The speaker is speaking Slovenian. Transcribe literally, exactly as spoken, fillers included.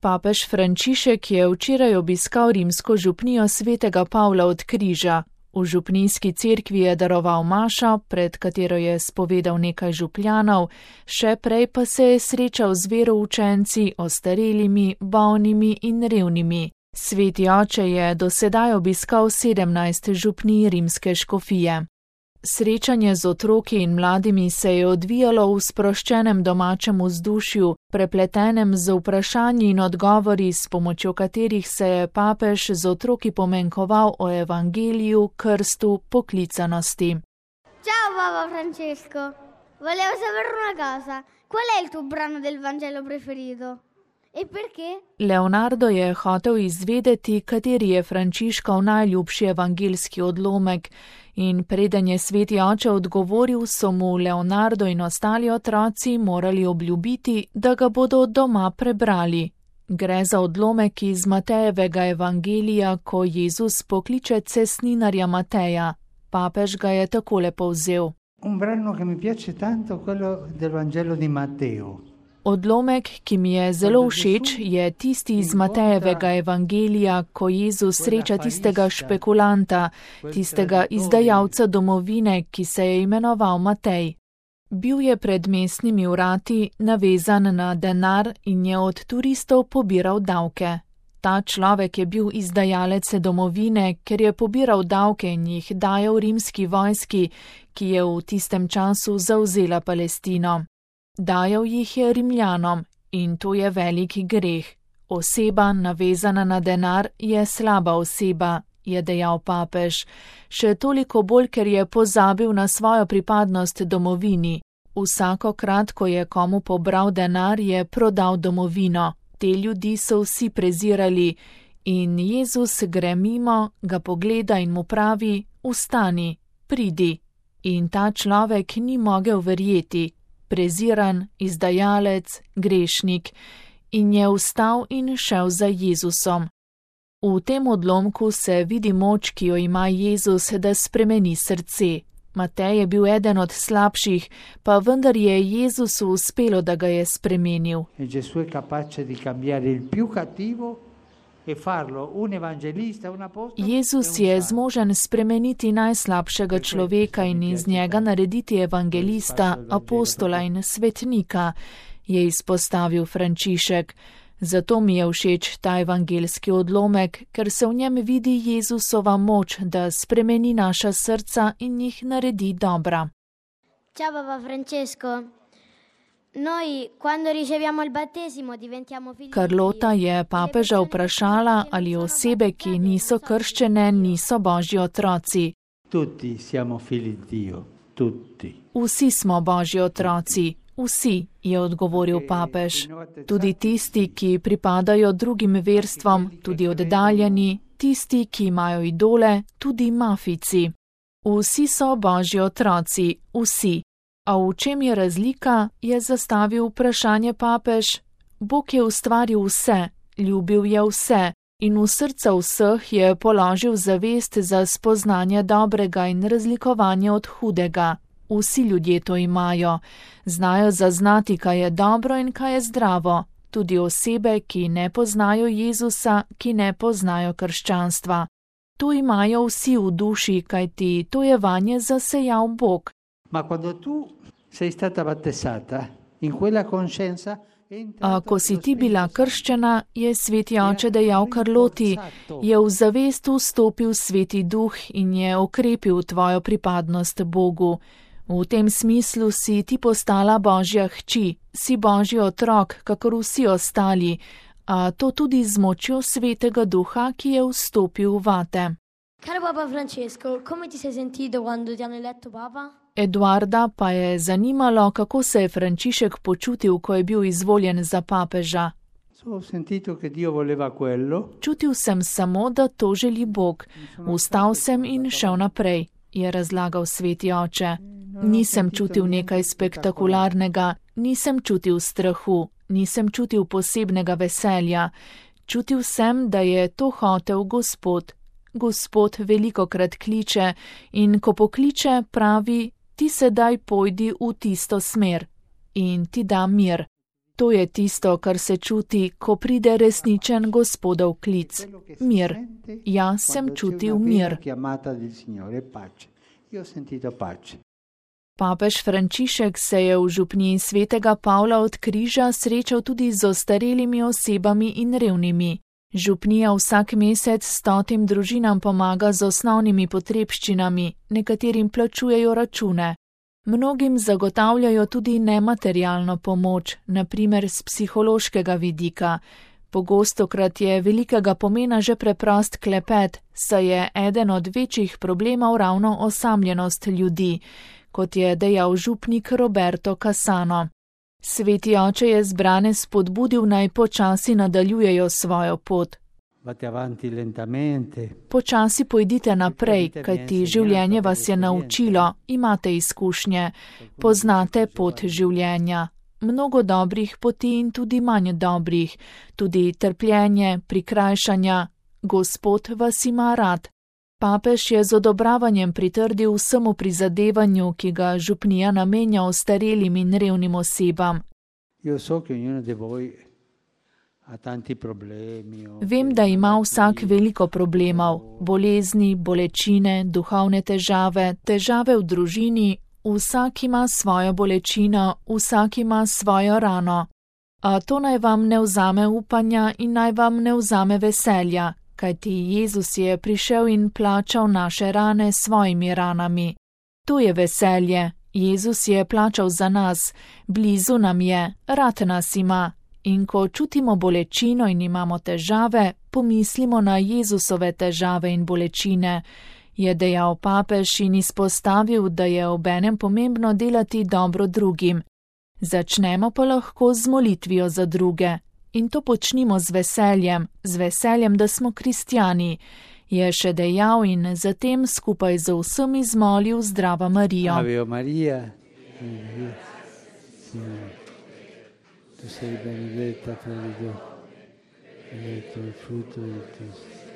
Papež Frančišek je včeraj obiskal rimsko župnijo svetega Pavla od Križa. V župnijski cerkvi je daroval mašo, pred katero je spovedal nekaj župljanov, še prej pa se je srečal z veroučenci, ostarelimi, bolnimi in revnimi. Sveti oče je do sedaj obiskal sedemnajst župnij rimske škofije. Srečanje z otroki in mladimi se je odvijalo v sproščenem domačem vzdušju, prepletenem z vprašanji in odgovori, s pomočjo katerih se je papež z otroki pomenkoval o evangeliju, krstu, poklicanosti. Ciao Papa Francesco, volevo sapere una cosa, qual è il tuo brano del Vangelo preferito? E perché? Leonardo je hotel izvedeti, kateri je Frančiškov najljubši evangeljski odlomek, in preden je sveti oče odgovoril, so mu Leonardo in ostali otroci morali obljubiti, da ga bodo doma prebrali. Gre za odlomek iz Matejevega evangelija, ko Jezus pokliče cestninarja Mateja. Papež ga je takole povzel. Un brano che mi piace tanto, quello del Vangelo di Matteo. Odlomek, ki mi je zelo všeč, je tisti iz Matejevega evangelija, ko Jezus sreča tistega špekulanta, tistega izdajalca domovine, ki se je imenoval Matej. Bil je pred mestnimi vrati navezan na denar in je od turistov pobiral davke. Ta človek je bil izdajalec domovine, ker je pobiral davke in jih dajal rimski vojski, ki je v tistem času zavzela Palestino. Dajal jih je Rimljanom in to je veliki greh. Oseba, navezana na denar, je slaba oseba, je dejal papež. Še toliko bolj, ker je pozabil na svojo pripadnost domovini. Vsakokrat, ko je komu pobral denar, je prodal domovino. Te ljudi so vsi prezirali in Jezus gre mimo, ga pogleda in mu pravi: vstani, pridi. In ta človek ni mogel verjeti. Preziran, izdajalec, grešnik, in je vstal in šel za Jezusom. V tem odlomku se vidi moč, ki jo ima Jezus, da spremeni srce. Matej je bil eden od slabših, pa vendar je Jezusu uspelo, da ga je spremenil. Jezus je zmožen spremeniti najslabšega človeka in iz njega narediti evangelista, apostola in svetnika, je izpostavil Frančišek. Zato mi je všeč ta evangeljski odlomek, ker se v njem vidi Jezusova moč, da spremeni naša srca in jih naredi dobra. Ciao Papa Francesco. Noi, quando riceviamo il battesimo, diventiamo figli. Carlota je papeža vprašala, ali osebe, ki niso krščene, niso Božji otroci. Tutti siamo figli di Dio, tutti. Vsi smo Božji otroci, vsi, je odgovoril papež. Tudi tisti, ki pripadajo drugim verstvom, tudi oddaljeni, tisti, ki imajo idole, tudi mafijci. Vsi so Božji otroci, vsi. A v čem je razlika, je zastavil vprašanje papež. Bog je ustvaril vse, ljubil je vse in v srca vseh je položil zavest za spoznanje dobrega in razlikovanje od hudega. Vsi ljudje to imajo, znajo zaznati, kaj je dobro in kaj je zdravo, tudi osebe, ki ne poznajo Jezusa, ki ne poznajo krščanstva. To imajo vsi v duši, kajti to je vanje zasejal Bog. Ma quando tu sei stata battezzata in quella coscienza. A ko si ti bila krščena, je sveti oče dejal Carloti, je v zavest vstopil sveti duh in je okrepil tvojo pripadnost Bogu. V tem smislu si ti postala Božja hči, si Božji otrok, kakor vsi ostali, a to tudi z močjo svetega duha, ki je vstopil vate. Caro Papa Francesco, come ti sei sentito quando ti hanno eletto Papa? Eduarda pa je zanimalo, kako se je Frančišek počutil, ko je bil izvoljen za papeža. Čutil sem samo, da to želi Bog. Vstal sem in šel naprej, je razlagal sveti oče. Nisem čutil nekaj spektakularnega, nisem čutil strahu, nisem čutil posebnega veselja. Čutil sem, da je to hotel Gospod. Gospod velikokrat kliče in ko pokliče, pravi: ti sedaj pojdi v tisto smer in ti da mir. To je tisto, kar se čuti, ko pride resničen Gospodov klic. Mir. Jaz sem čutil mir. Papež Frančišek se je v župniji svetega Pavla od Križa srečal tudi z ostarelimi osebami in revnimi. Župnija vsak mesec stotim družinam pomaga z osnovnimi potrebščinami, nekaterim plačujejo račune. Mnogim zagotavljajo tudi nematerialno pomoč, na primer z psihološkega vidika. Pogostokrat je velikega pomena že preprost klepet, saj je eden od večjih problemov ravno osamljenost ljudi, kot je dejal župnik Roberto Casano. Sveti oče je zbrane spodbudil, naj počasi nadaljujejo svojo pot. Počasi pojdite naprej, kajti življenje vas je naučilo, imate izkušnje, poznate pot življenja. Mnogo dobrih poti in tudi manj dobrih, tudi trpljenje, prikrajšanja. Gospod vas ima rad. Papež je z odobravanjem pritrdil vsemu prizadevanju, ki ga župnija namenja ostarelim in revnim osebam. Vem, da ima vsak veliko problemov, bolezni, bolečine, duhovne težave, težave v družini, vsak ima svojo bolečino, vsak ima svojo rano. A to naj vam ne vzame upanja in naj vam ne vzame veselja, kajti Jezus je prišel in plačal naše rane s svojimi ranami. To je veselje, Jezus je plačal za nas, blizu nam je, rad nas ima. In ko čutimo bolečino in imamo težave, pomislimo na Jezusove težave in bolečine, je dejal papež in izpostavil, da je obenem pomembno delati dobro drugim. Začnemo pa lahko z molitvijo za druge. In to počnimo z veseljem, z veseljem, da smo kristjani, je še dejal in zatem skupaj z vsemi zmolil Zdrava Marijo. Ave Maria, tu sei benedetta fra le donne, benedetto il frutto del tuo